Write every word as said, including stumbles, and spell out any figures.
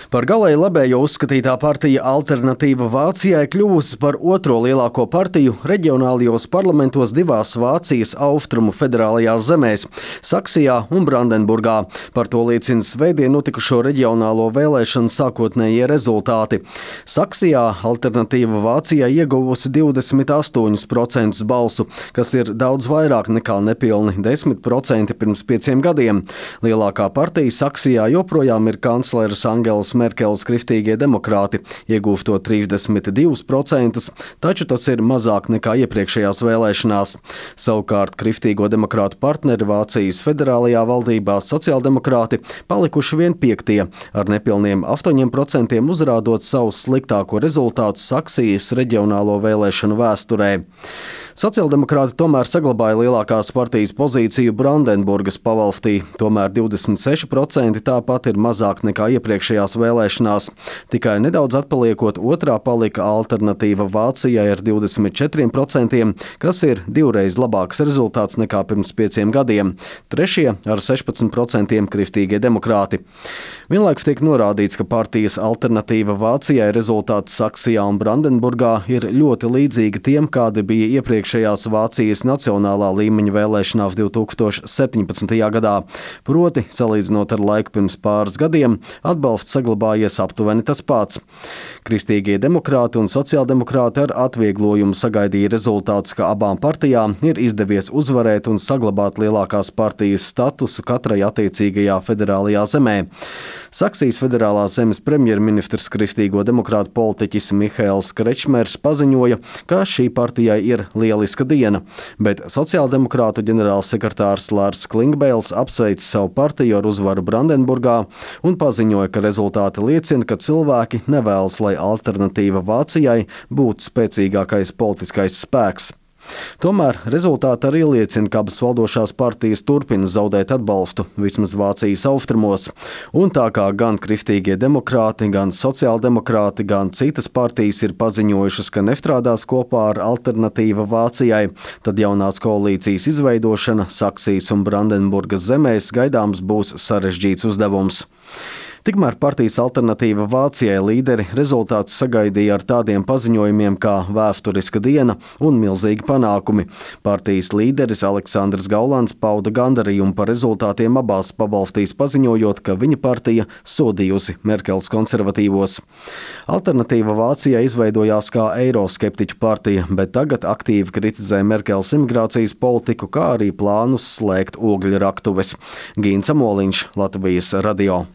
Par galēji labējo uzskatītā partija Alternatīva Vācijai kļuvusi par otro lielāko partiju reģionālajos parlamentos divās Vācijas austrumu federālajās zemēs - Saksijā un Brandenburgā. Par to liecina svētdien notikušo reģionālo vēlēšanu sākotnējie rezultāti. Saksijā Alternatīva Vācijai ieguvusi divdesmit astoņus procentus balsu, kas ir daudz vairāk nekā nepilni desmit procenti pirms pieciem gadiem. Lielākā partija Saksijā joprojām ir kancleres Angelas Merkeles Kristīgie demokrāti, iegūstot trīsdesmit divus procentus, taču tas ir mazāk nekā iepriekšējās vēlēšanās. Savukārt Kristīgo demokrātu partneri Vācijas federālajā valdībā sociāldemokrāti palikuši vien piektie, ar nepilniem astoņiem procentiem uzrādot savu sliktāko rezultātu Saksijas reģionālo vēlēšanu vēsturē. Sociāldemokrāti tomēr saglabāja lielākās partijas pozīciju Brandenburgas pavalstī, tomēr divdesmit seši procenti tāpat ir mazāk nekā iepriekšējās vēlēšanās. Tikai nedaudz atpaliekot otrā palika Alternatīva Vācijai ar divdesmit četriem procentiem, kas ir divreiz labāks rezultāts nekā pirms pieciem gadiem. Trešie ar sešpadsmit procentiem Kristīgie demokrāti. Vienlaikus tiek norādīts, ka partijas Alternatīva Vācijai rezultāti Saksijā un Brandenburgā ir ļoti līdzīgi tiem, kādi bija iepriekšējās Vācijas nacionālā līmeņa vēlēšanās divi tūkstoši septiņpadsmitajā gadā. Proti, salīdzinot ar laiku pirms pāris gadiem, atbalsts saglabājies aptuveni tas pats. Kristīgie demokrāti un sociāldemokrāti ar atvieglojumu sagaidīja rezultātus, ka abām partijām ir izdevies uzvarēt un saglabāt lielākās partijas statusu katrai attiecīgajā federālajā zemē. Saksijas federālās zemes premjerministrs Kristīgo demokrātu politiķis Mihails Krečmers paziņoja, ka šī partijai ir lieliska diena, bet sociāldemokrātu ģenerālsekretārs Lārs Klingbeils apsveic savu partiju ar uzvaru Brandenburgā un paziņoja, ka rezultāti liecina, ka cilvēki nevēlas, lai Alternatīva Vācijai būtu spēcīgākais politiskais spēks. Tomēr rezultāti arī liecina, ka abas valdošās partijas turpina zaudēt atbalstu, vismaz Vācijas austrumos. Un tā kā gan Kristīgie demokrāti, gan sociāldemokrāti, gan citas partijas ir paziņojušas, ka nestrādās kopā ar Alternatīva Vācijai, tad jaunās koalīcijas izveidošana Saksijas un Brandenburgas zemēs gaidāms būs sarežģīts uzdevums. Tikmēr partijas Alternatīva Vācijai līderi rezultātus sagaidīja ar tādiem paziņojumiem kā vēsturiska diena un milzīgi panākumi. Partijas līderis Aleksandrs Gaulans pauda gandarījumu par rezultātiem abās pavalstīs, paziņojot, ka viņa partija sodījusi Merkeles konservatīvos. Alternatīva Vācijai izveidojās kā eiroskeptiķu partija, bet tagad aktīvi kritizē Merkeles imigrācijas politiku, kā arī plānus slēgt ogļraktuves. Gīns Amoliņš, Latvijas radio.